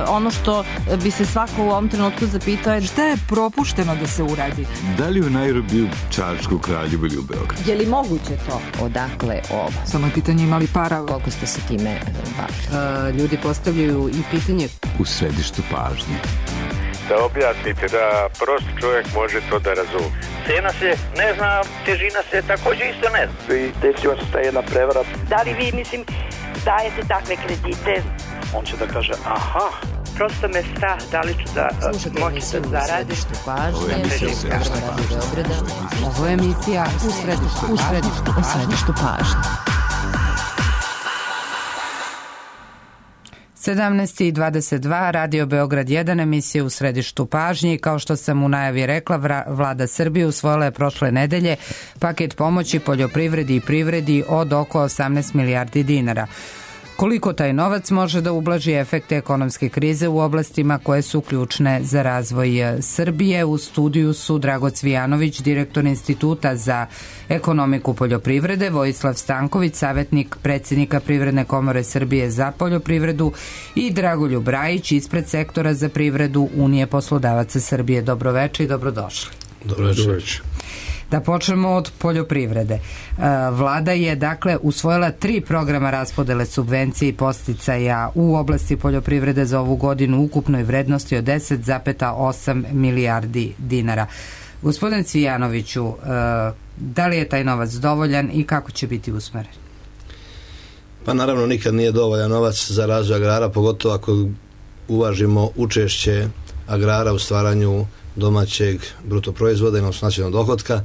ono što bi se svako u ovom trenutku zapitao je šta je propušteno da se uradi. Da li u Nairobiju, Čačku, Kraljevu ili u Beogradu? Je li moguće to? Odakle ovo? Samo je pitanje imali para. Koliko ste se time bavili? Ljudi postavljaju i pitanje U središtu pažnje. Da objasnite da prost čovjek može to da razumije. Cena se ne zna, težina se također isto ne zna. I desila se ta jedna prevara. Da li vi, dajete takve kredite? On će da kaže, aha. Prosto me strah, da li ću da moći da zaradim. Ovo je emisija u središtu pažnje. 17:22, Radio Beograd 1, emisija u središtu pažnje. Kao što sam u najavi rekla, Vlada Srbije usvojila je prošle nedelje paket pomoći poljoprivredi i privredi od oko 18 milijardi dinara. Koliko taj novac može da ublaži efekte ekonomske krize u oblastima koje su ključne za razvoj Srbije? U studiju su Drago Cvijanović, direktor Instituta za ekonomiku poljoprivrede, Vojislav Stanković, savjetnik predsjednika Privredne komore Srbije za poljoprivredu i Dragoljub Rajić, ispred sektora za privredu Unije poslodavaca Srbije. Dobroveče i dobrodošli. Dobroveče. Da počnemo od poljoprivrede. Vlada je dakle usvojila 3 programa raspodele subvencije i podsticaja u oblasti poljoprivrede za ovu godinu u ukupnoj vrednosti od 10,8 milijardi dinara. Gospodin Cvijanoviću, da li je taj novac dovoljan i kako će biti usmeren? Pa naravno nikad nije dovoljan novac za razvoj agrara, pogotovo ako uvažimo učešće agrara u stvaranju domaćeg bruto proizvoda, odnosno nacionalnog dohotka,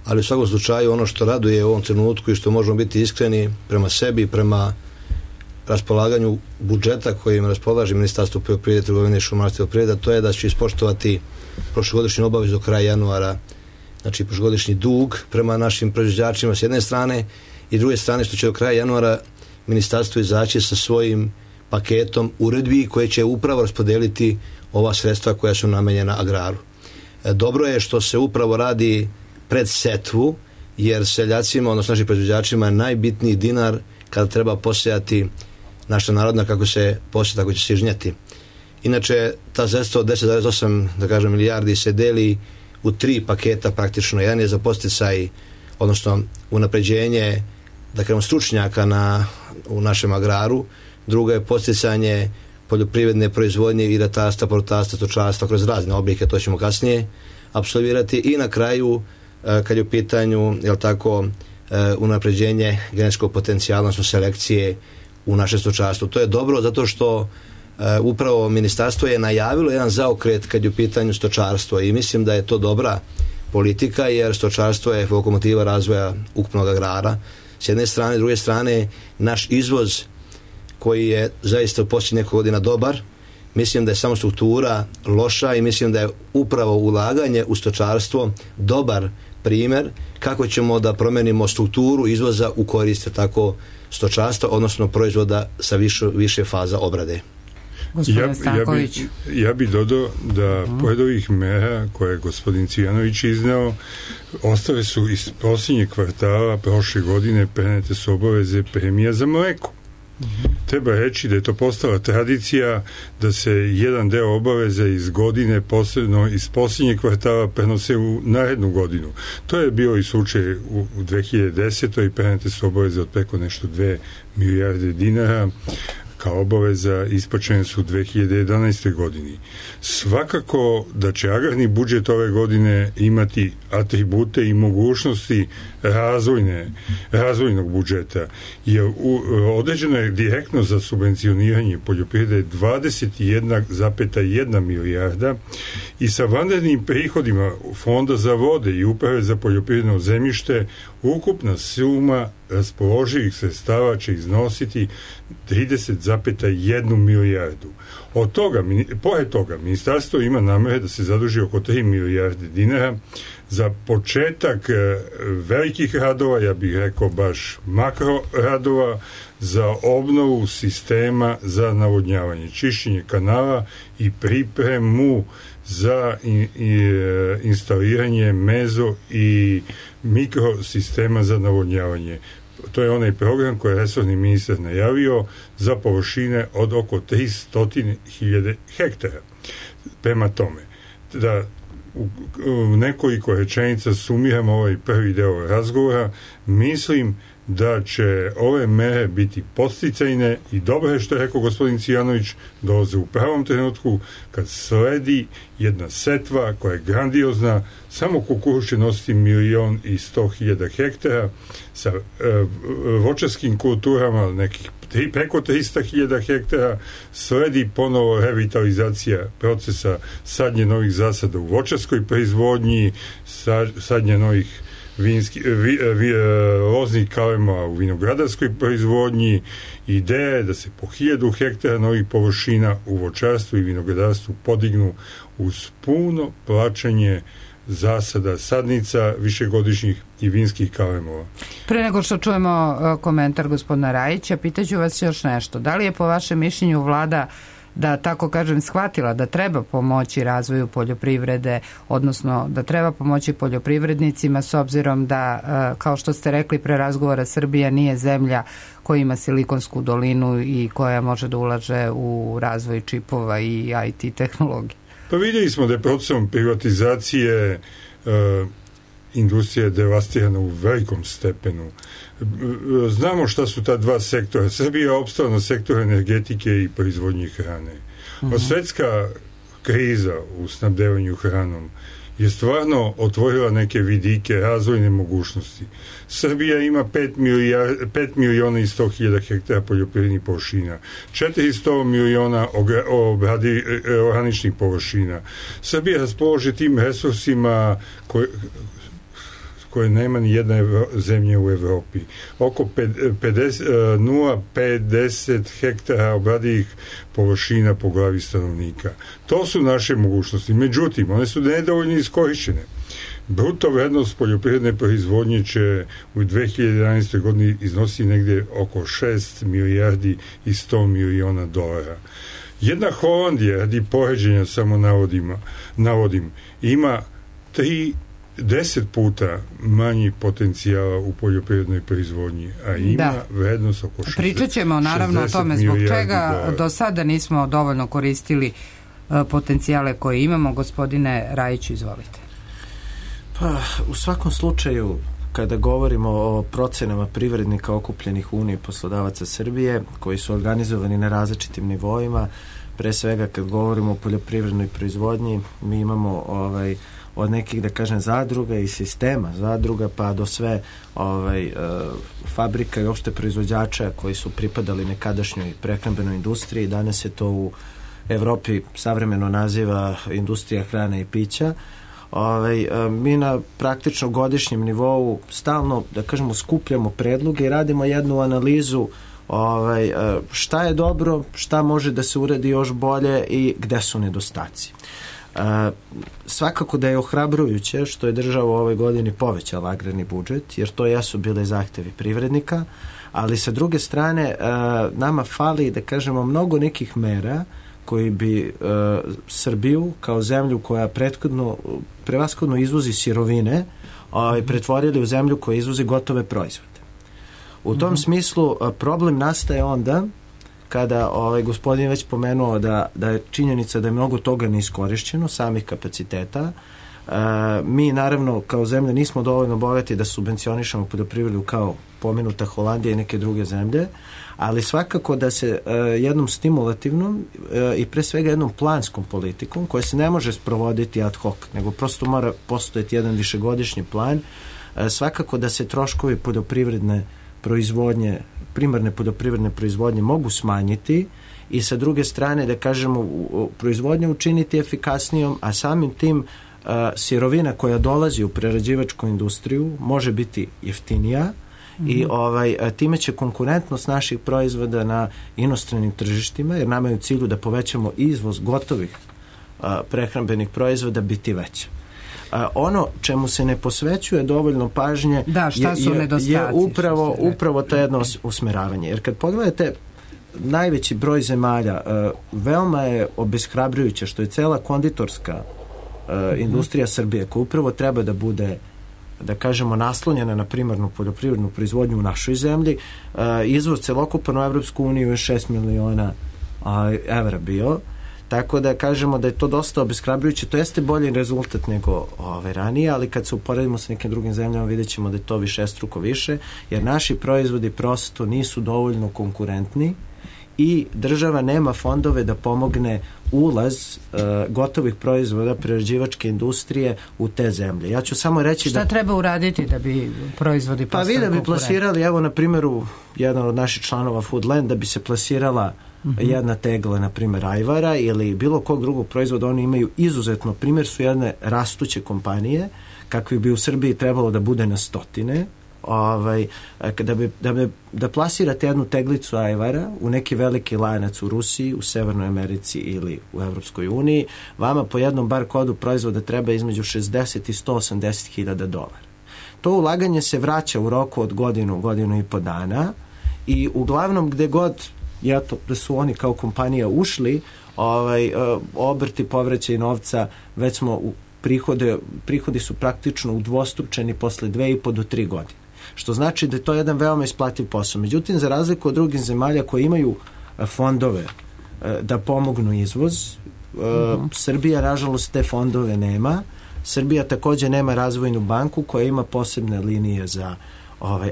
ali u svakom slučaju ono što raduje u ovom trenutku i što možemo biti iskreni prema sebi, prema raspolaganju budžeta kojim raspolaže Ministarstvo poljoprivrede, trgovine i šumarstva i poljoprivrede, to je da će ispoštovati prošlogodišnju obavezu do kraja januara, znači prošlogodišnji dug prema našim proizvođačima s jedne strane i s druge strane što će do kraja januara Ministarstvo izaći sa svojim paketom uredbi koje će upravo raspodeliti ova sredstva koja su namenjena agraru. Dobro je što se upravo radi pred setvu, jer seljacima, odnosno našim proizvođačima, je najbitniji dinar kada treba posejati naša narodna, kako se posije, tako će se žnjeti. Inače, ta sredstva od 10,8 da kažem, milijardi se deli u 3 paketa praktično. Jedan je za podsticaj, odnosno unapređenje, da kažem, stručnjaka u našem agraru, druga je podsticanje poljoprivredne proizvodnje i ratarstva, povrtarstva, stočarstva kroz razne oblike, to ćemo kasnije apsolvirati, i na kraju kad je u pitanju, jel tako, unapređenje genetskog potencijala, odnosno selekcije u naše stočarstvo. To je dobro zato što upravo ministarstvo je najavilo jedan zaokret kad je u pitanju stočarstvo i mislim da je to dobra politika, jer stočarstvo je lokomotiva razvoja ukupnog agrara s jedne strane, s druge strane naš izvoz koji je zaista u posljednjih nekoliko godina dobar, mislim da je samo struktura loša i mislim da je upravo ulaganje u stočarstvo dobar primjer kako ćemo da promenimo strukturu izvoza u korist tako stočarstva, odnosno proizvoda sa više faza obrade. Ja bi dodao da pored ovih mera koje je gospodin Cvijanović izneo, ostale su iz posljednjeg kvartala prošle godine prenete su obaveze premija za mleko. Treba reći da je to postala tradicija da se jedan deo obaveza iz godine, posebno iz posljednjeg kvartala, prenose u narednu godinu. To je bio i slučaj u 2010. i prenete su obaveze od preko nešto 2 milijarde dinara kao obaveza, isplaćene su u 2011. godini. Svakako da će agrarni budžet ove godine imati atribute i mogućnosti razvojnog budžeta, jer određeno je direktno za subvencioniranje poljoprivrede 21,1 milijarda i sa vanrednim prihodima Fonda za vode i Uprave za poljoprivredno zemljište ukupna suma raspoloživih sredstava će iznositi 30,1 milijardu. Pored toga, ministarstvo ima namere da se zaduži oko 3 milijarde dinara za početak velikih radova, ja bih rekao baš makro radova, za obnovu sistema za navodnjavanje, čišćenje kanala i pripremu za instaliranje mezo i mikrosistema za navodnjavanje. to je onaj program koji je resorni ministar najavio za površine od oko 300.000 hektara. Prema tome, da u nekoliko rečenica sumiramo ovaj prvi deo razgovora, mislim da će ove mere biti podsticajne i dobro je što je rekao gospodin Cijanović, dolaze u pravom trenutku kad sledi jedna setva koja je grandiozna, samo kukuruz će nositi 1.100.000 hektara sa voćarskim kulturama nekih preko 300.000 hektara, sledi ponovo revitalizacija procesa sadnje novih zasada u voćarskoj proizvodnji, sadnje novih loznih kalema u vinogradarskoj proizvodnji. Ideja je da se po 1.000 hektara novih površina u voćarstvu i vinogradarstvu podignu uz puno plaćanje zasada sadnica višegodišnjih i vinskih kalemova. Pre nego što čujemo komentar gospodina Rajića, pitaću vas još nešto. Da li je po vašem mišljenju vlada, da tako kažem, shvatila da treba pomoći razvoju poljoprivrede, odnosno da treba pomoći poljoprivrednicima s obzirom da, kao što ste rekli pre razgovora, Srbija nije zemlja koja ima Silikonsku dolinu i koja može da ulaže u razvoj čipova i IT tehnologije? Pa vidjeli smo da je procesom privatizacije industrija je devastirana u velikom stepenu. Znamo šta su ta dva sektora. Srbija je opstala na sektoru energetike i proizvodnje hrane. Svetska kriza u snabdevanju hranom je stvarno otvorila neke vidike razvojne mogućnosti. Srbija ima 5.100.000 hektara poljoprivrednih površina, 400 miliona oraničnih površina. Srbija raspoloži tim resursima koje nema ni jedna zemlja u Evropi. Oko 0,50 hektara obradivih površina po glavi stanovnika. To su naše mogućnosti. Međutim, one su nedovoljno iskorišćene. Bruto vrednost poljoprivredne proizvodnje će u 2011. godini iznositi negdje oko 6 milijardi i 100 miliona dolara. Jedna Holandija, radi poređenja samo navodim, ima 10 puta manji potencijala u poljoprivrednoj proizvodnji, a ima vrednost oko 60 Pričat ćemo naravno o tome zbog čega do sada nismo dovoljno koristili potencijale koje imamo. Gospodine Rajiću, izvolite. Pa, u svakom slučaju, kada govorimo o procenama privrednika okupljenih u Uniji poslodavaca Srbije, koji su organizovani na različitim nivoima, pre svega kad govorimo o poljoprivrednoj proizvodnji, mi imamo od nekih, da kažem, zadruga i sistema zadruga pa do sve fabrika i opšte proizvođača koji su pripadali nekadašnjoj prehrambenoj industriji. Danas se to u Evropi savremeno naziva industrija hrane i pića. Mi na praktično godišnjem nivou stalno, da kažemo, skupljamo predloge i radimo jednu analizu šta je dobro, šta može da se uradi još bolje i gde su nedostaci. Svakako da je ohrabrujuće što je država u ovoj godini povećala agrarni budžet, jer to jesu bile zahtevi privrednika, ali sa druge strane nama fali, da kažemo, mnogo nekih mera koji bi Srbiju kao zemlju koja prevashodno izvozi sirovine pretvorili u zemlju koja izvozi gotove proizvode. U tom smislu problem nastaje onda kada gospodin već pomenuo da je činjenica da je mnogo toga neiskorišćeno, samih kapaciteta. Mi naravno kao zemlja nismo dovoljno bogati da subvencionišemo poljoprivredu kao pomenuta Holandija i neke druge zemlje, ali svakako da se jednom stimulativnom i pre svega jednom planskom politikom, koja se ne može sprovoditi ad hoc, nego prosto mora postojati jedan višegodišnji plan, svakako da se troškovi poljoprivredne proizvodnje, primarne poljoprivredne proizvodnje mogu smanjiti i sa druge strane, da kažemo, proizvodnju učiniti efikasnijom, a samim tim sirovina koja dolazi u prerađivačku industriju može biti jeftinija i time će konkurentnost naših proizvoda na inostranim tržištima, jer nama je u cilju da povećamo izvoz gotovih prehrambenih proizvoda, biti veća. Ono čemu se ne posvećuje dovoljno pažnje je upravo to jedno usmeravanje. Jer kad pogledate najveći broj zemalja, veoma je obeshrabrujuće što je cela konditorska industrija Srbije, koja upravo treba da bude da kažemo, naslonjena na primarnu poljoprivrednu proizvodnju u našoj zemlji, izvoz celokupan u Evropsku uniju je 6 miliona evra bio, tako da kažemo da je to dosta obeshrabrujuće. To jeste bolji rezultat nego ranije, ali kad se uporedimo sa nekim drugim zemljama vidjet ćemo da je to višestruko više, jer naši proizvodi prosto nisu dovoljno konkurentni i država nema fondove da pomogne ulaz gotovih proizvoda prerađivačke industrije u te zemlje. Ja ću samo reći šta treba uraditi da bi proizvodi postali konkurentni? Pa vi da bi plasirali, evo na primjeru jedan od naših članova Foodland, da bi se plasirala jedna tegla, na primjer ajvara ili bilo kog drugog proizvoda, oni imaju izuzetno, primjer su jedne rastuće kompanije, kakvih bi u Srbiji trebalo da bude na stotine, da plasirate jednu teglicu ajvara u neki veliki lanac u Rusiji, u Severnoj Americi ili u Evropskoj uniji, vama po jednom bar kodu proizvoda treba između 60 i 180 hiljada dolara. To ulaganje se vraća u roku od godinu i po dana i uglavnom gde god da su oni kao kompanija ušli, obrti povraćaj novca, već smo prihodi su praktično udvostručeni posle 2,5 do 3 godine. Što znači da je to jedan veoma isplativ posao. Međutim, za razliku od drugih zemalja koji imaju fondove da pomognu izvoz, Srbija, nažalost, te fondove nema. Srbija također nema razvojnu banku koja ima posebne linije za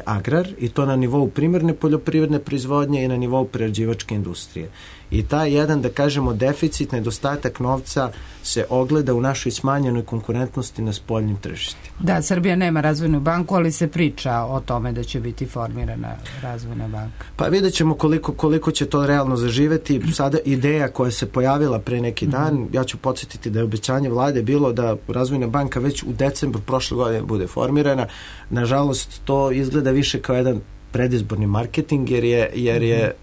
agrar i to na nivou primarne poljoprivredne proizvodnje i na nivou prerađivačke industrije. I taj jedan, da kažemo, deficit, nedostatak novca se ogleda u našoj smanjenoj konkurentnosti na spoljnim tržištima. Da, Srbija nema razvojnu banku, ali se priča o tome da će biti formirana razvojna banka. Pa vidjet ćemo koliko će to realno zaživeti. Sada ideja koja se pojavila pre neki dan, ja ću podsjetiti da je obećanje vlade bilo da razvojna banka već u decembru prošle godine bude formirana. Nažalost, to izgleda više kao jedan predizborni marketing, jer je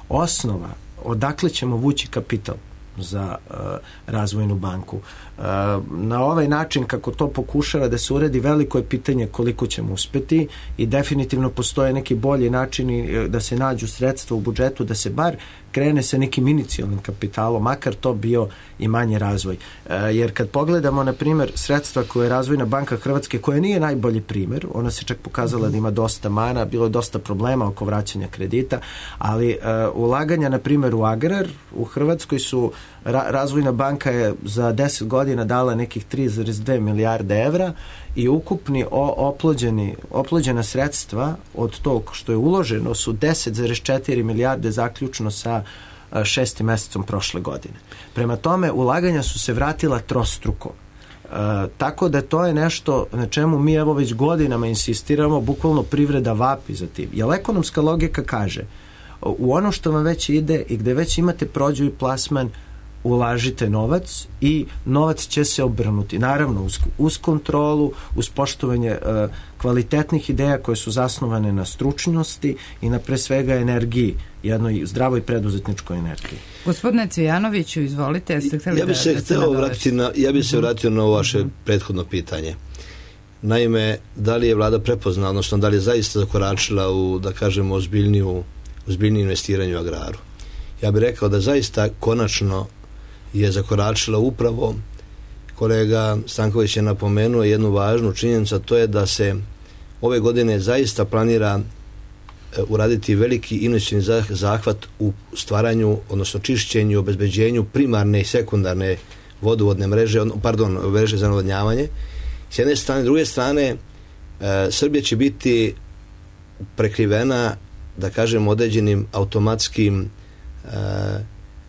osnova odakle ćemo vući kapital za razvojnu banku. Na ovaj način kako to pokušava da se uredi, veliko je pitanje koliko ćemo uspeti i definitivno postoje neki bolji načini da se nađu sredstva u budžetu, da se bar krene sa nekim inicijalnim kapitalom, makar to bio i manji razvoj. Jer kad pogledamo, na primjer, sredstva koje je Razvojna banka Hrvatske, koja nije najbolji primjer, ona se čak pokazala da ima dosta mana, bilo je dosta problema oko vraćanja kredita, ali ulaganja, na primjer, u agrar u Hrvatskoj su, Razvojna banka je za 10 godina dala nekih 3,2 milijarde evra i ukupni oplođena sredstva od tog što je uloženo su 10,4 milijarde zaključno sa 6. mesecom prošle godine. Prema tome, ulaganja su se vratila trostruko. Tako da to je nešto na čemu mi evo već godinama insistiramo, bukvalno privreda vapi za tim. Jer ekonomska logika kaže, u ono što vam već ide i gde već imate prođu i plasman, ulažite novac i novac će se obrnuti. Naravno, uz kontrolu, uz poštovanje kvalitetnih ideja koje su zasnovane na stručnosti i na pre svega energiji, jednoj zdravoj preduzetničkoj energiji. Gospodine Cvijanoviću, izvolite. Ja bih se vratio na ovo vaše prethodno pitanje. Naime, da li je vlada prepoznala, odnosno da li je zaista zakoračila u, da kažemo, ozbiljnije investiranje u agraru? Ja bih rekao da zaista konačno je zakoračila upravo, kolega Stanković je napomenuo jednu važnu činjenicu, a to je da se ove godine zaista planira uraditi veliki investicioni zahvat u stvaranju, odnosno čišćenju, obezbeđenju primarne i sekundarne vodovodne mreže, mreže za navodnjavanje. S jedne strane, s druge strane, Srbija će biti prekrivena, da kažem, određenim automatskim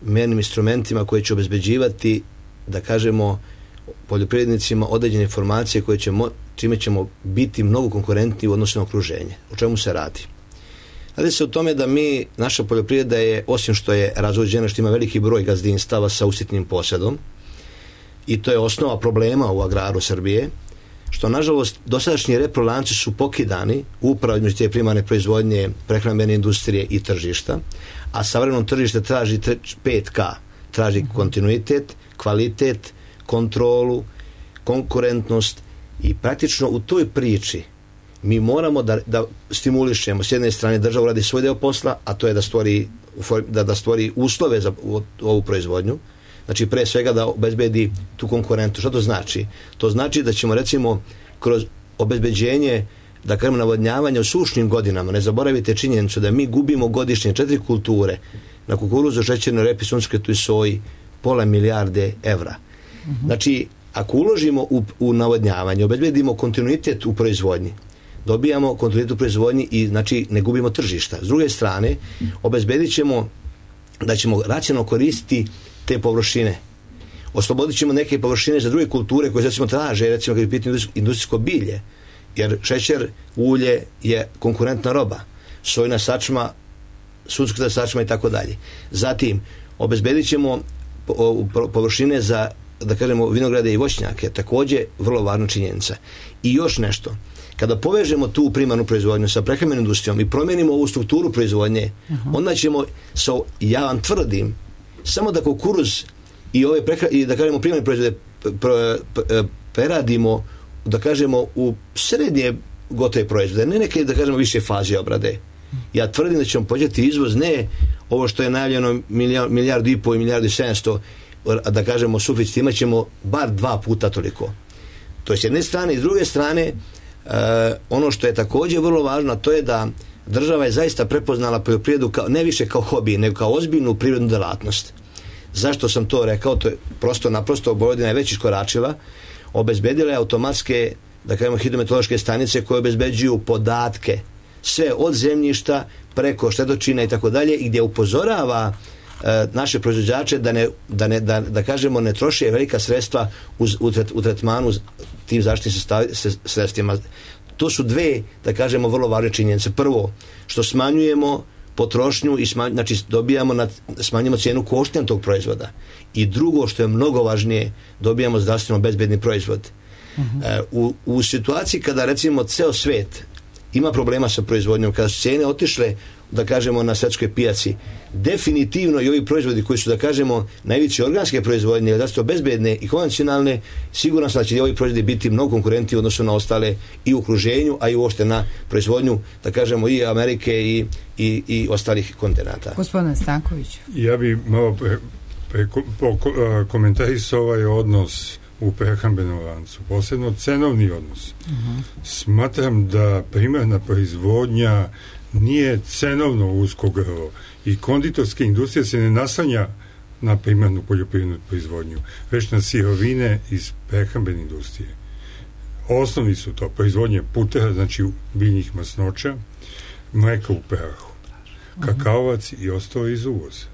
mernim instrumentima koji će obezbeđivati, da kažemo, poljoprivrednicima određene informacije čime ćemo biti mnogo konkurentni u odnosu na okruženje. O čemu se radi? Radi se o tome da naša poljoprivreda je, osim što je razuđena, što ima veliki broj gazdinstava sa usitnim posedom, i to je osnova problema u agraru Srbije, što nažalost dosadašnji reprolanci su pokidani upravo između te primarne proizvodnje, prehrambene industrije i tržišta, a savremeno tržište traži 5K, traži kontinuitet, kvalitet, kontrolu, konkurentnost i praktično u toj priči mi moramo da stimulišemo, s jedne strane država radi svoj deo posla, a to je da stvori uslove za ovu proizvodnju. Znači, pre svega da obezbedi tu konkurentu. Što to znači? To znači da ćemo, recimo, kroz obezbeđenje, da kažemo, navodnjavanja u sušnim godinama. Ne zaboravite činjenicu da mi gubimo godišnje 4 kulture na kukuruzu, šećernoj repi, suncokretu i soji pola milijarde evra. Znači, ako uložimo u navodnjavanje, obezbedimo kontinuitet u proizvodnji, dobijamo kontinuitet u proizvodnji i znači ne gubimo tržišta. S druge strane, obezbedit ćemo da ćemo racionalno koristiti te površine. Oslobodit ćemo neke površine za druge kulture koje recimo traže, recimo kad je pitanje industrijsko bilje, jer šećer, ulje je konkurentna roba, sojna sačma, suncokreta sačma i tako dalje. Zatim, obezbedit ćemo površine za, da kažemo, vinograde i voćnjake, također vrlo važna činjenica. I još nešto, kada povežemo tu primarnu proizvodnju sa prehrambenom industrijom i promijenimo ovu strukturu proizvodnje, onda ćemo, ja vam tvrdim, samo da kukuruz i ove i da kažemo primarne proizvode preradimo, da kažemo, u srednje gotove proizvode, ne neke, da kažemo, više faze obrade. Ja tvrdim da ćemo početi izvoz, ne ovo što je najavljeno milijardu i pol i milijardu i 700, da kažemo suficit, imat ćemo bar 2 puta toliko. To je s jedne strane, i s druge strane, ono što je također vrlo važno, to je da država je zaista prepoznala poljoprivredu ne više kao hobi, nego kao ozbiljnu privrednu delatnost. Zašto sam to rekao? To je naprosto Vojvodina je već iskoračila, obezbedila je automatske, da kažemo, hidrometeorološke stanice koje obezbeđuju podatke sve od zemljišta preko štetočina i tako dalje, i gdje upozorava naše proizvođače da kažemo ne troše velika sredstva u tretmanu tim zaštitnim sredstvima. To su dve, da kažemo, vrlo važne činjenice. Prvo, što smanjujemo potrošnju i znači smanjujemo cijenu koštanja tog proizvoda. I drugo, što je mnogo važnije, dobijamo zdravstveno bezbedni proizvod. U situaciji kada, recimo, ceo svet ima problema sa proizvodnjom, kada su cijene otišle, da kažemo, na svjetskoj pijaci, definitivno i ovi proizvodi koji su, da kažemo, najveće organske proizvodnje, da su to bezbedne i konvencionalne, sigurno sam da će ovi proizvodi biti mnogo konkurentni u odnosu na ostale i u okruženju, a i uopšte na proizvodnju, da kažemo, i Amerike i ostalih kontinenta. Gospodine Stanković. Ja bi malo komentarisao ovaj odnos u prehrambenom lancu, posebno cenovni odnos. Smatram da primarna proizvodnja nije cenovno usko grlo i konditorska industrija se ne naslanja na primarnu poljoprivrednu proizvodnju, već na sirovine iz prehrambene industrije. Osnovni su to proizvodnje putera, znači biljnih masnoća, mleka u prahu, kakaovac i ostalo iz uvoza.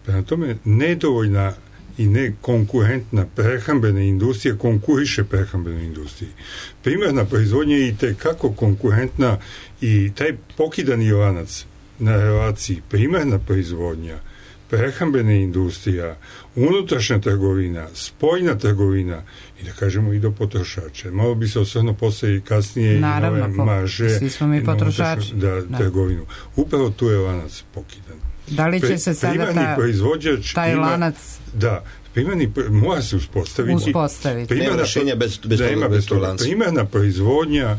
Prema tome, nedovoljna i ne konkurentna prehrambena industrija konkuriše prehrambenoj industriji. Primarna proizvodnja je i tekako konkurentna i taj pokidani lanac na relaciji primarna proizvodnja, prehrambena industrija, unutrašnja trgovina, spoljna trgovina i, da kažemo, i do potrošača. Malo bi se osvrnuo posle i kasnije naravno, i nove marže svi smo mi potrošači. Trgovinu. Upravo tu je lanac pokidan. Da li će se sada taj lanac... Da, mora se uspostaviti. Nema rešenja bez tog lanca. Primarna proizvodnja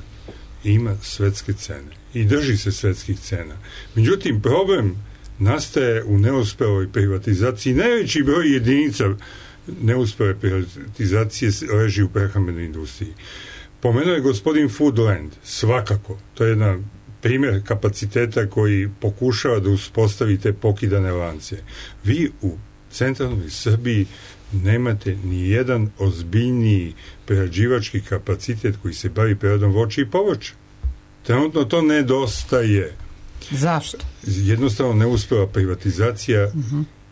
ima svetske cene i drži se svetskih cena. Međutim, problem nastaje u neuspeloj privatizaciji. Najveći broj jedinica neuspele privatizacije leži u prehrambenoj industriji. Pomenuo je gospodin Foodland, svakako. To je jedan primjer kapaciteta koji pokušava da uspostavi te pokidane lance. Vi u centralnoj Srbiji nemate ni jedan ozbiljniji prerađivački kapacitet koji se bavi preradom voća i povrća. Trenutno to nedostaje. Zašto? Jednostavno neuspela privatizacija,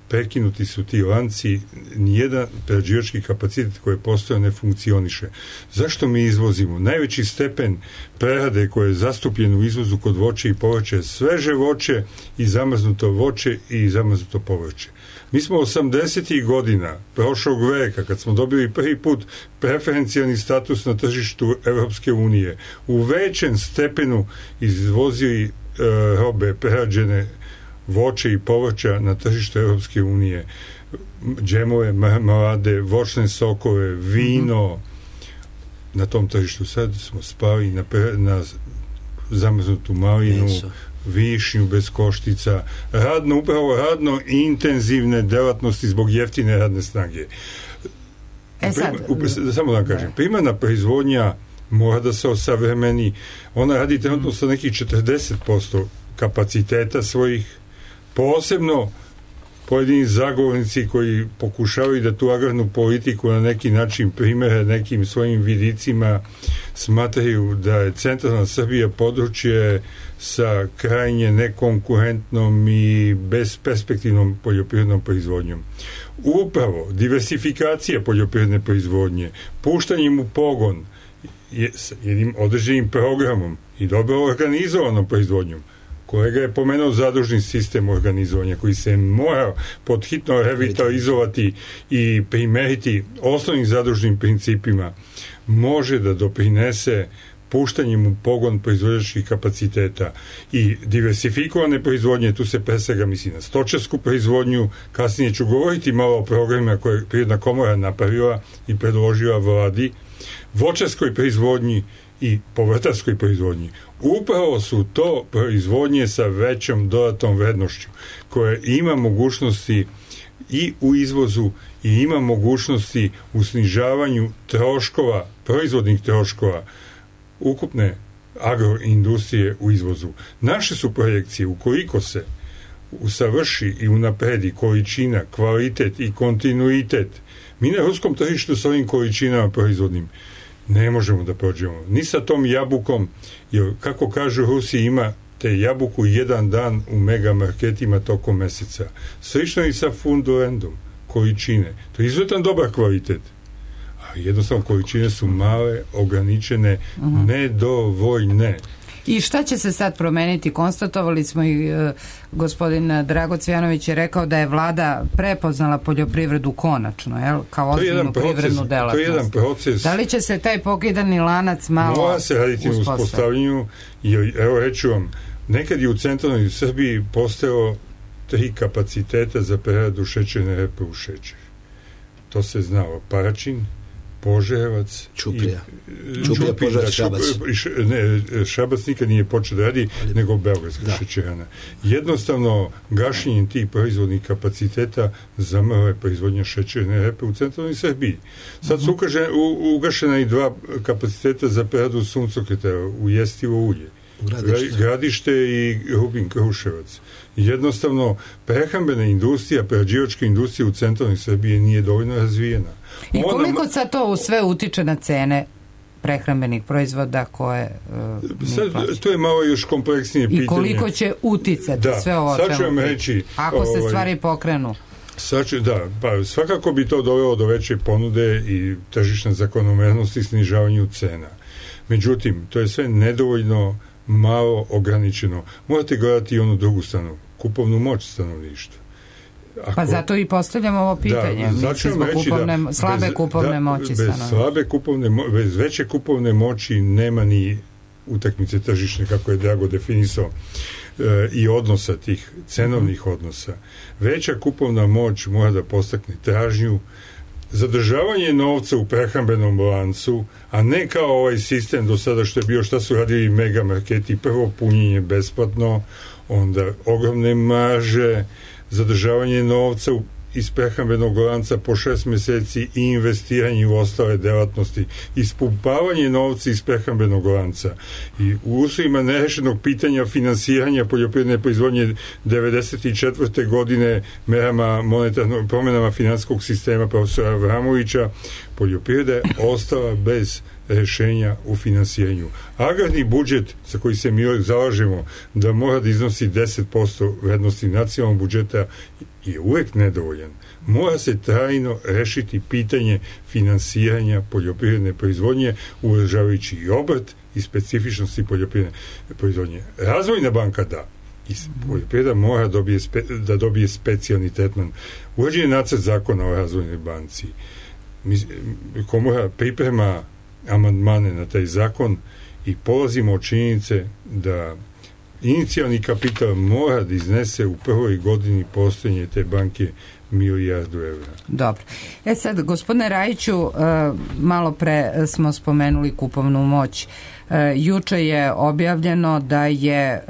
prekinuti su ti lanci, nijedan prerađivački kapacitet koji je postojao ne funkcioniše. Zašto mi izvozimo? Najveći stepen prerade koji je zastupljen u izvozu kod voća i povrća je sveže voće i zamrznuto voće i zamrznuto povrće. Mi smo 80. godina prošlog veka, kad smo dobili prvi put preferencijalni status na tržištu Evropske unije, u većem stepenu izvozili robe prerađene voće i povrća na tržištu Evropske unije, džemove, marmelade, voćne sokove, vino. Na tom tržištu sad smo spali na zamrznutu malinu, višnju bez koštica, upravo radno intenzivne delatnosti zbog jeftine radne snage. Samo da kažem, primarna proizvodnja mora da se osavremeni. Ona radi trenutno sa nekih 40% kapaciteta svojih, posebno pojedini zagovornici koji pokušavaju da tu agrarnu politiku na neki način primere nekim svojim vidicima, smatraju da je centralna Srbija područje sa krajnje nekonkurentnom i bezperspektivnom poljoprivrednom proizvodnjom. Upravo diversifikacija poljoprivredne proizvodnje, puštanjem u pogon s jednim određenim programom i dobro organizovanom proizvodnjom. Kolega je pomenuo zadružni sistem organizovanja koji se mora podhitno revitalizovati i primeriti osnovnim zadružnim principima, može da doprinese puštanjem u pogon proizvođačkih kapaciteta i diversifikovane proizvodnje. Tu se pre svega misli na stočarsku proizvodnju. Kasnije ću govoriti malo o programima koje je Privredna komora napravila i predložila vladi, voćarskoj proizvodnji i povrtarskoj proizvodnji. Upravo su to proizvodnje sa većom dodatnom vrednošću, koje ima mogućnosti i u izvozu i ima mogućnosti u snižavanju troškova, proizvodnih troškova ukupne agroindustrije u izvozu. Naše su projekcije, ukoliko se usavrši i unapredi količina, kvalitet i kontinuitet, mi na ruskom tržištu s ovim količinama proizvodnim ne možemo da prođemo. Ni sa tom jabukom, jer kako kažu Rusi, ima te jabuku jedan dan u megamarketima tokom meseca. Slično i sa fundulendom, količine. To je izuzetan dobar kvalitet. A jednostavno količine su male, ograničene, nedovoljne. I šta će se sad promeniti? Konstatovali smo i gospodin Drago Cvijanović je rekao da je vlada prepoznala poljoprivredu konačno, jel? Kao ozbiljnu privrednu delatnost. To je jedan proces. Da li će se taj pokidani lanac malo mora se raditi na uspostavljanju, jer evo reću vam, nekad je u centralnoj Srbiji postojalo 3 kapaciteta za preradu šećerne repe u šećer. To se znalo. Paračin, Požarevac, Ćuprija, Požarevac, Šabac. Šabac nikad nije počeo da radi, nego Beogradska šećerana. Jednostavno, gašenjem tih proizvodnih kapaciteta zamrla je proizvodnja šećerne repe u centralnoj Srbiji. Sad su ugašena i 2 kapaciteta za preradu suncokreta u jestivo ulje. Gradište i Rubin Kruševac. Jednostavno, prehrambena industrija, prerađivačka industrija u centralnoj Srbiji nije dovoljno razvijena. I koliko sad to sve utiče na cene prehrambenih proizvoda koje to je malo još kompleksnije pitanje. I koliko će uticati sve ovo čemu reći, ako se stvari pokrenu? Svakako bi to dovelo do veće ponude i tržišne zakonomernosti i snižavanju cena. Međutim, to je sve nedovoljno malo ograničeno. Morate gledati i onu drugu stranu, kupovnu moć stanovništva. Pa zato i postavljamo ovo pitanje. Slabe kupovne moći stanovništva. Bez veće kupovne moći nema ni utakmice tržišne, kako je Drago definisao, i odnosa tih, cenovnih odnosa. Veća kupovna moć mora da postakne tražnju, zadržavanje novca u prehrambenom lancu, a ne kao ovaj sistem do sada što je bio, šta su radili megamarketi, prvo punjenje besplatno, onda ogromne marže, zadržavanje novca iz prehrambenog lanca po 6 meseci i investiranje u ostale delatnosti, ispumpavanje novca iz prehrambenog lanca i u uslovima nerešenog pitanja finansiranja poljoprivredne proizvodnje 94. godine merama promjenama finansijskog sistema profesora Avramovića, poljoprivreda je ostala bez rešenja u finansiranju. Agrarni budžet za koji se mi zalažemo da mora da iznosi 10% vrednosti nacionalnog budžeta je uvek nedovoljan. Mora se trajno rešiti pitanje finansiranja poljoprivredne proizvodnje, uvažavajući i obrt i specifičnosti poljoprivredne proizvodnje. Razvojna banka da. I poljoprivreda mora da dobije specijalni tretman. Uređen je nacrt zakona o razvojnoj banci. Komora priprema amandmane na taj zakon i polazimo od činjenice da inicijalni kapital mora da iznese u prvoj godini postojanja te banke $1 milijardu. Dobro. Sad, gospodine Rajiću, malo pre smo spomenuli kupovnu moć. Juče je objavljeno da je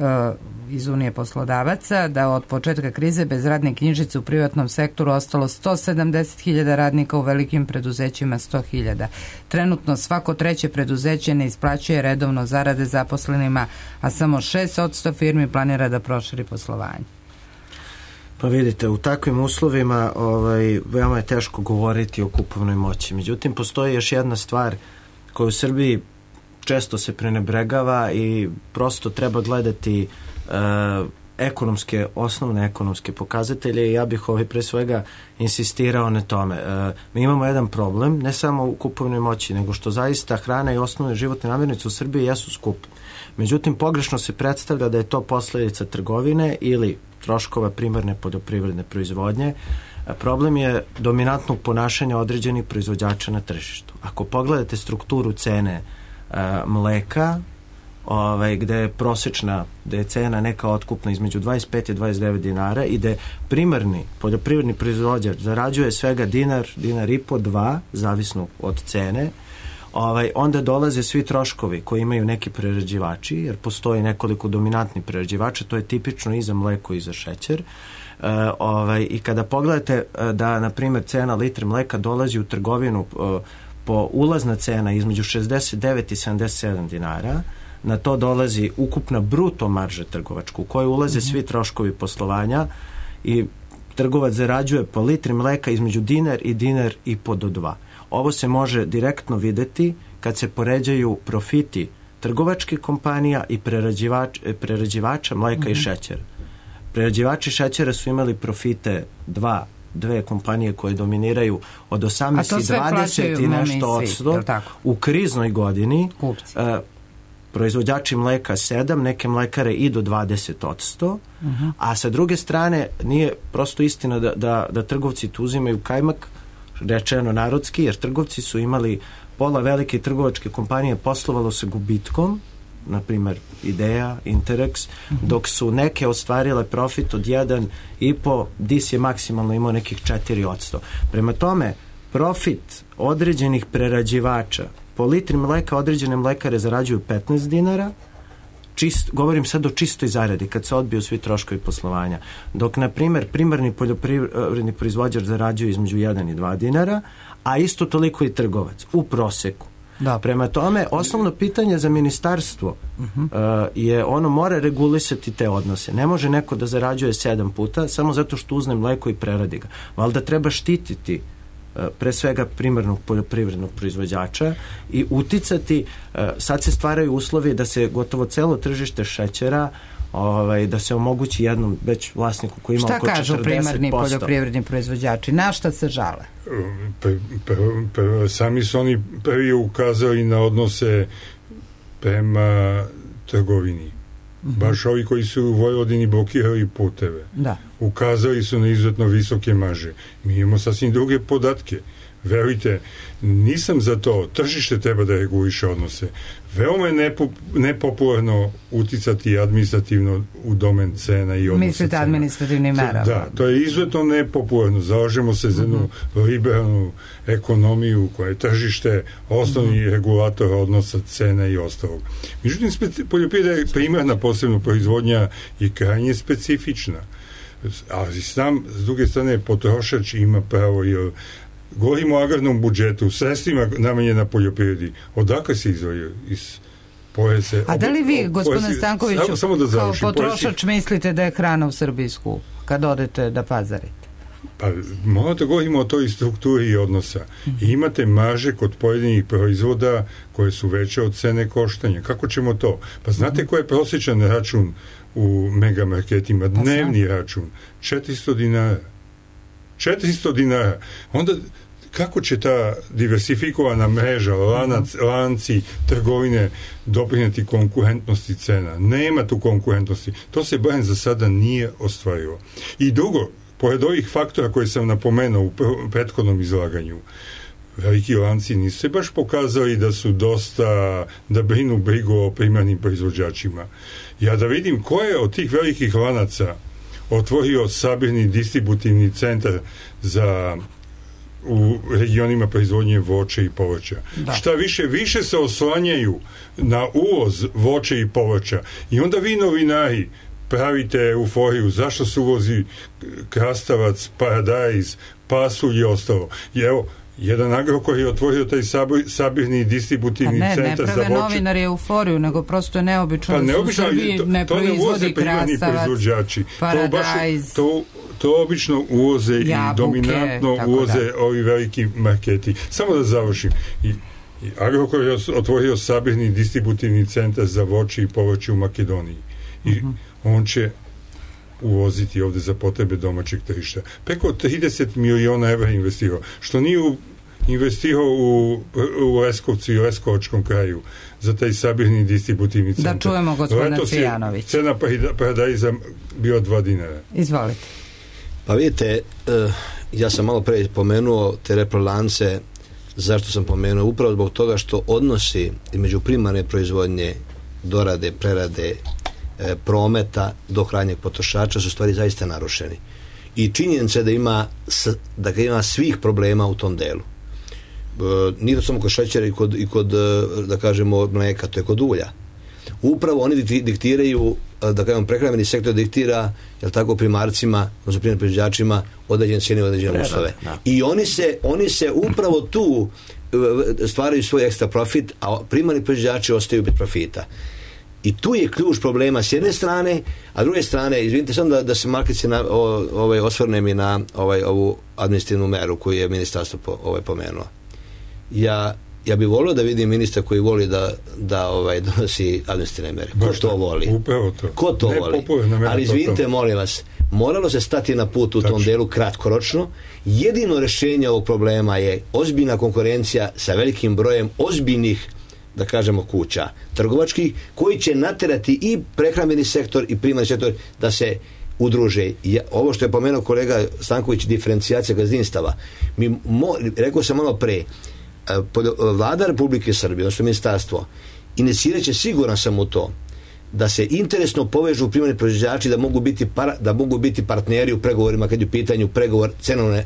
iz Unije poslodavaca da od početka krize bez radne knjižice u privatnom sektoru ostalo 170.000 radnika, u velikim preduzećima 100.000. Trenutno svako treće preduzeće ne isplaćuje redovno zarade zaposlenima, a samo 6% firmi planira da proširi poslovanje. Pa vidite, u takvim uslovima veoma je teško govoriti o kupovnoj moći. Međutim, postoji još jedna stvar koja u Srbiji često se prenebregava i prosto treba gledati osnovne ekonomske pokazatelje i ja bih pre svega insistirao na tome. Mi imamo jedan problem, ne samo u kupovnoj moći, nego što zaista hrana i osnovne životne namirnice u Srbiji jesu skupe. Međutim, pogrešno se predstavlja da je to posljedica trgovine ili troškova primarne poljoprivredne proizvodnje. Problem je dominantnog ponašanja određenih proizvođača na tržištu. Ako pogledate strukturu cene mleka, gde je prosječna, gde je cena neka otkupna između 25 i 29 dinara i gde primarni poljoprivredni proizvođač zarađuje svega dinar i po, 2, zavisno od cene, onda dolaze svi troškovi koji imaju neki prerađivači, jer postoji nekoliko dominantnih prerađivača, to je tipično i za mleko i za šećer. I kada pogledate da, na primjer, cena litre mleka dolazi u trgovinu po ulazna cena između 69 i 77 dinara, na to dolazi ukupna bruto marža trgovačka u kojoj ulaze svi troškovi poslovanja i trgovac zarađuje po litri mleka između dinar i po do 2. Ovo se može direktno videti kad se poređaju profiti trgovačkih kompanija i prerađivača mleka i šećera. Prerađivači šećera su imali profite dve kompanije koje dominiraju od 18 i 20 i nešto odsto u kriznoj godini. Proizvođači mleka 7, neke mlekare i do 20%, a sa druge strane nije prosto istina da trgovci tu uzimaju kajmak, rečeno narodski, jer trgovci su imali, pola velike trgovačke kompanije poslovalo sa gubitkom, na primjer Idea, Interex, dok su neke ostvarile profit od 1,5, DIS je maksimalno imao nekih 4%. Prema tome, profit određenih prerađivača po litri mleka određene mlekare zarađuju 15 dinara, govorim sad o čistoj zaradi kad se odbiju svi troškovi poslovanja, dok na primjer primarni poljoprivredni proizvođač zarađuje između 1 i 2 dinara, a isto toliko i trgovac u proseku. Prema tome, osnovno pitanje za ministarstvo je ono mora regulisati te odnose. Ne može neko da zarađuje 7 puta samo zato što uzne mleko i preradi ga. Valjda treba štititi pre svega primarnog poljoprivrednog proizvođača i uticati, sad se stvaraju uslovi da se gotovo celo tržište šećera da se omogući jednom već vlasniku koji ima oko 40%. Šta kažu primarni poljoprivredni proizvođači? Na šta se žale? Sami su oni prvi ukazali na odnose prema trgovini. Baš ovi koji su u Vojvodini blokirali puteve. Ukazali su na izuzetno visoke marže. Mi imamo sasvim druge podatke. Verujte, nisam za to. Tržište treba da reguliše odnose. Veoma je nepopularno uticati administrativno u domen cena i odnosa. Mislite administrativni merama? Da, to je izuzetno nepopularno. Zalažemo se za jednu liberalnu ekonomiju koja je tržište osnovni regulator odnosa cena i ostalog. Međutim, poljoprivreda je primarna posebno proizvodnja i krajnje specifična. Ali sam, s druge strane, potrošač ima pravo, jer govorimo o agrarnom budžetu, sredstvima namenjena poljoprivredi. Odakle se izdvojio? Iz poreze? A da li vi, gospodine Stankoviću, kao potrošač mislite da je hrana u Srbiji skup kad odete da pazarite? Pa malo da govorimo o toj strukturi i odnosa. I imate marže kod pojedinih proizvoda koje su veće od cene koštanja. Kako ćemo to? Pa znate ko je prosječan račun u megamarketima? Dnevni račun. 400 dinara. 400 dinara. Onda kako će ta diversifikovana mreža, lanci, trgovine doprinijeti konkurentnosti cena? Nema tu konkurentnosti. To se barem za sada nije ostvarilo. I drugo, pored ovih faktora koje sam napomenuo u prethodnom izlaganju, veliki lanci nisu se baš pokazali da su da brinu brigu o primarnim proizvođačima. Ja da vidim ko je od tih velikih lanaca otvorio sabirni distributivni centar u regionima proizvodnje voća i povrća. Šta više se oslanjaju na uvoz voća i povrća. I onda vi novinari pravite euforiju, zašto se uvozi krastavac, paradajz, pasulj i ostalo. I evo, jedan Agrokor je otvorio taj sabirni distributivni centar za voće. Ne prave novinari euforiju, nego prosto je neobično da su u Srbiji ne proizvodi krastavac, paradajz. To obično uvoze jabuke, i dominantno uvoze ovi veliki marketi. Samo da završim. I Agrokor je otvorio sabirni distributivni centar za voće i povrće u Makedoniji. I on će uvoziti ovde za potrebe domaćeg tržišta. Preko 30 miliona evra investirao. Što nije investirao u Leskovcu i Leskovačkom kraju za taj sabirni distributivni centar. Da čujemo gospodina Cvijanović. Cena paradajza bio 2 dinara. Izvolite. Pa vidite, ja sam malo pre pomenuo te reprolance. Zašto sam pomenuo? Upravo zbog toga što odnosi između primarne proizvodnje, dorade, prerade, prometa do krajnjeg potrošača su stvari zaista narušeni. I činjenica da ima svih problema u tom delu. Nije to samo kod šećera i kod da kažemo mleka, to je kod ulja. Upravo oni diktiraju, da kažemo prehrambeni sektor diktira, jel tako, primarcima, odnosno primarnim proizvođačima određene cijene, određene uslove. I oni se upravo tu stvaraju svoj ekstra profit, a primarni proizvođači ostaju bez profita. I tu je ključ problema s jedne strane, a s druge strane, izvinite samo da se Markić osvrnem i na ovu administrativnu meru koju je ministarstvo pomenuo. Ja bih volio da vidim ministra koji voli da donosi administrativne mere. Ko to voli? Upravo to. Ko to voli? Ali izvinite, molim vas, moralo se stati na put u tom delu kratkoročno. Jedino rješenje ovog problema je ozbiljna konkurencija sa velikim brojem ozbiljnih, da kažemo, kuća trgovačkih, koji će naterati i prehrambeni sektor i primarni sektor da se udruže. Ovo što je pomenuo kolega Stanković, diferencijacija gazdinstava. Rekao sam malo pre, Vlada Republike Srbije, odnosno ministarstvo, inicirat će, siguran sam u to, da se interesno povežu primarni proizvođači, da mogu biti partneri u pregovorima kad je u pitanju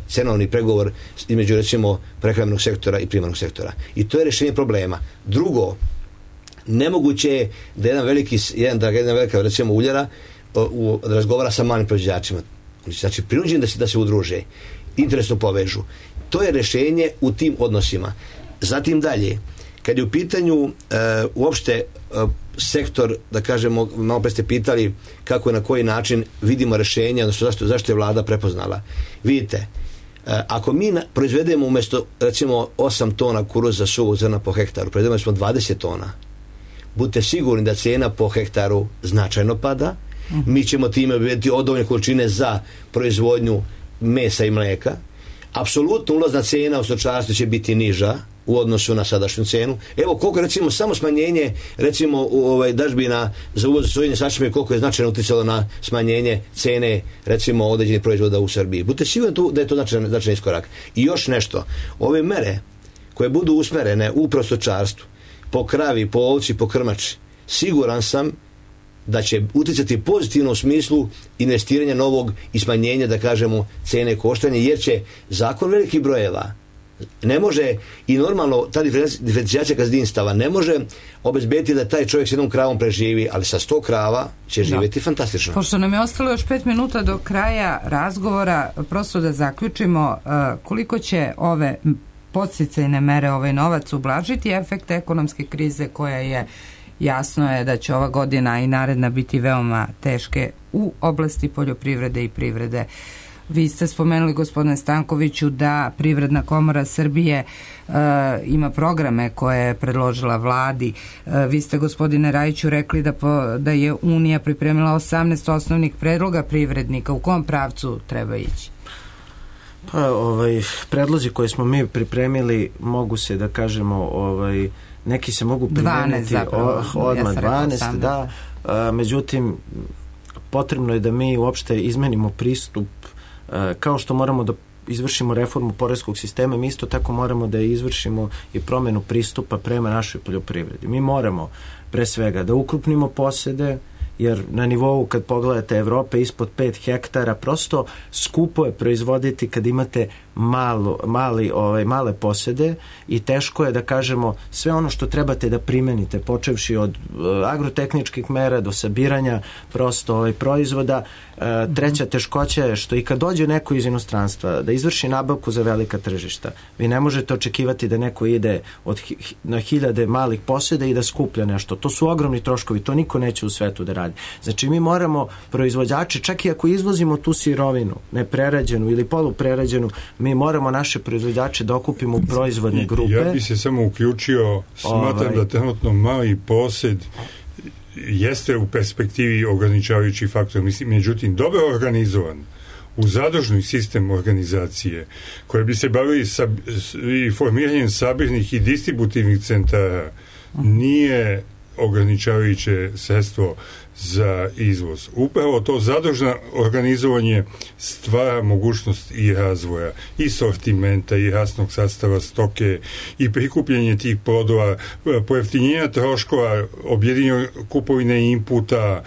cenovni pregovor između, recimo, prehrambenog sektora i primarnog sektora. I to je rješenje problema. Drugo, nemoguće je da jedna velika, recimo, uljara razgovara sa malim proizvođačima. Znači, prinuđen da se udruže, interesno povežu. To je rješenje u tim odnosima. Zatim dalje, kad je u pitanju uopšte sektor, da kažemo, malo pre ste pitali kako i na koji način vidimo rješenje, odnosno zašto je vlada prepoznala. Vidite, ako mi proizvedemo umjesto, recimo, 8 tona kuruza suvog zrna po hektaru, proizvedemo smo 20 tona, budite sigurni da cijena po hektaru značajno pada. Mi ćemo time obaviti dovoljne količine za proizvodnju mesa i mleka. Apsolutno ulazna cijena u stočarstvu će biti niža u odnosu na sadašnju cenu. Evo koliko, recimo, samo smanjenje, recimo, dažbina za uvoz sojinih sačme, koliko je značajno utjecalo na smanjenje cene, recimo, određenih proizvoda u Srbiji. Budite sigurni da je to značajan iskorak. I još nešto, ove mere koje budu usmerene u stočarstvu, po kravi, po ovci, po krmači, siguran sam da će utjecati pozitivno u smislu investiranja novog i smanjenja, da kažemo, cene koštanja, jer će zakon velikih brojeva ne može, i normalno ta diferencijacija gazdinstava ne može obezbediti da taj čovjek s jednom kravom preživi, ali sa 100 krava će živjeti fantastično. Pošto nam je ostalo još 5 minuta do kraja razgovora, prosto da zaključimo, koliko će ove podsticajne mere, ovaj novac ublažiti efekte ekonomske krize koja je, jasno je da će ova godina i naredna biti veoma teške u oblasti poljoprivrede i privrede. Vi ste spomenuli, gospodine Stankoviću, da Privredna komora Srbije ima programe koje je predložila vladi. Vi ste, gospodine Rajiću, rekli da je Unija pripremila 18 osnovnih predloga privrednika. U kom pravcu treba ići? Pa, predlozi koje smo mi pripremili mogu se, da kažemo, neki se mogu primeniti odmah 12, da. Međutim, potrebno je da mi uopšte izmenimo pristup, kao što moramo da izvršimo reformu poreskog sistema, mi isto tako moramo da izvršimo i promjenu pristupa prema našoj poljoprivredi. Mi moramo pre svega da ukrupnimo posede jer na nivou kad pogledate Evrope ispod 5 hektara prosto skupo je proizvoditi kad imate male posede i teško je da kažemo sve ono što trebate da primenite, počevši od agrotehničkih mera do sabiranja prosto proizvoda. Treća teškoća je što i kad dođe neko iz inostranstva da izvrši nabavku za velika tržišta, vi ne možete očekivati da neko ide na hiljade malih poseda i da skuplja nešto. To su ogromni troškovi, to niko neće u svetu da radi. Znači mi moramo proizvođači, čak i ako izvozimo tu sirovinu, neprerađenu ili poluprerađenu, mi moramo naše proizvođače da okupimo u proizvodne grupe. Ja bi se samo uključio, smatram da trenutno mali posed jeste u perspektivi ograničavajući faktor. Međutim, dobro organizovan u zadružni sistem organizacije koje bi se bavili i formiranjem sabirnih i distributivnih centara nije ograničavajuće sredstvo za izvoz. Upravo to zadružno organizovanje stvara mogućnost i razvoja i sortimenta i rasnog sastava stoke i prikupljanje tih plodova, pojeftinjenja troškova, objedinjenja kupovine inputa,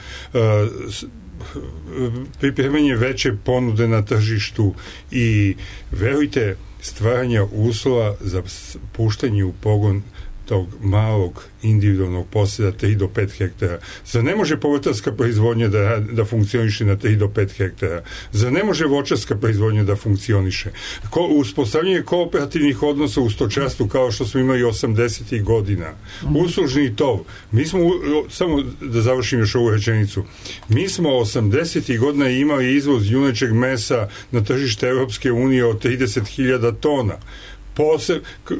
pripremanje veće ponude na tržištu i verujte stvaranja uslova za puštanje u pogon tog malog individualnog posjeda 3 do 5 hektara. Zar ne može povrtarska proizvodnja da funkcioniše na 3 do 5 hektara? Zar ne može voćarska proizvodnja da funkcioniše? Uspostavljanje kooperativnih odnosa u stočarstvu kao što smo imali 80. godina. Uslužni tov. Mi smo, samo da završim još ovu rečenicu, mi smo 80. godina imali izvoz junećeg mesa na tržište Europske unije od 30.000 tona.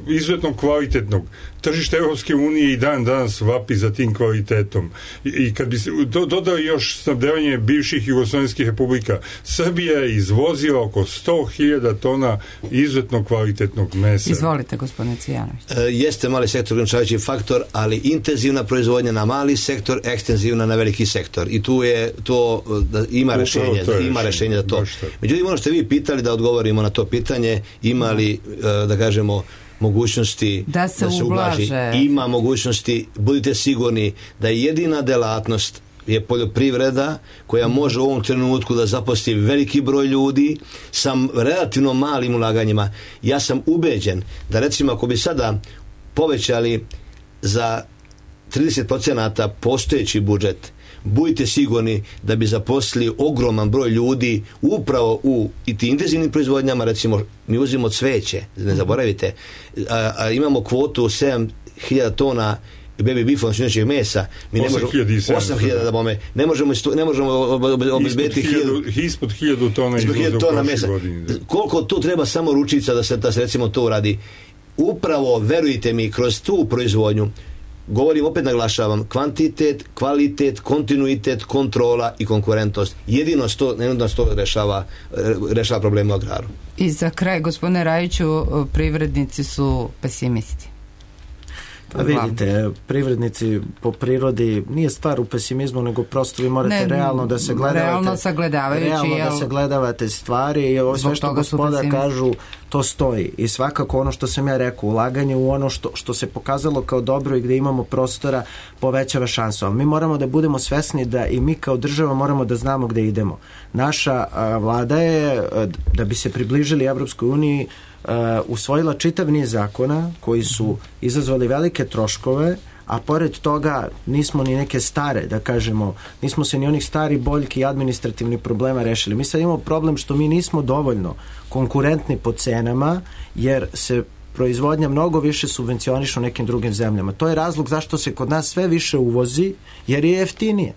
Izuzetno kvalitetnog. Tržište Europske unije i danas vapi za tim kvalitetom. I kad bi se dodao još snabdevanje bivših jugoslovenskih republika, Srbija je izvozila oko 100.000 tona izuzetno kvalitetnog mesa. Izvolite, gospodine Cijanović. Jeste mali sektor ograničavajući faktor, ali intenzivna proizvodnja na mali sektor, ekstenzivna na veliki sektor. I tu je to da ima rešenje. Ima rešenje za to. Međutim, ono što vi pitali da odgovorimo na to pitanje, ima li, da kažemo, mogućnosti da se ublaži. Ima mogućnosti, budite sigurni da je jedina delatnost je poljoprivreda koja može u ovom trenutku da zaposli veliki broj ljudi sa relativno malim ulaganjima. Ja sam ubeđen da recimo ako bi sada povećali za 30% postojeći budžet, budite sigurni da bi zaposlili ogroman broj ljudi upravo u i ti intenzivnim proizvodnjama. Recimo mi uzimamo cveće, ne zaboravite, a imamo kvotu 7.000 tona baby beefa, svinjčjeg mesa, mi ne možemo 8.000 da bome, ne možemo obezbediti ispod 1.000 tona mesa. Koliko tu treba samo ručica da se recimo to uradi. Upravo, verujte mi, kroz tu proizvodnju, govorim, opet naglašavam, kvantitet, kvalitet, kontinuitet, kontrola i konkurentnost. Jedino to rešava probleme u agraru. I za kraj, gospodine Rajiću, privrednici su pesimisti. Pa vidite, privrednici po prirodi nije stvar u pesimizmu, nego prosto vi morate realno da se sagledavate stvari i ovo sve što gospoda kažu, to stoji. I svakako ono što sam ja rekao, ulaganje u ono što se pokazalo kao dobro i gde imamo prostora povećava šansu. Ali mi moramo da budemo svesni da i mi kao država moramo da znamo gde idemo. Naša vlada je, da bi se približili Evropskoj uniji, usvojila čitav niz zakona koji su izazvali velike troškove, a pored toga nismo ni neke stare, da kažemo, nismo se ni onih stari boljki i administrativnih problema rešili. Mi sad imamo problem što mi nismo dovoljno konkurentni po cenama, jer se proizvodnja mnogo više subvencioniše u nekim drugim zemljama. To je razlog zašto se kod nas sve više uvozi, jer je jeftinije.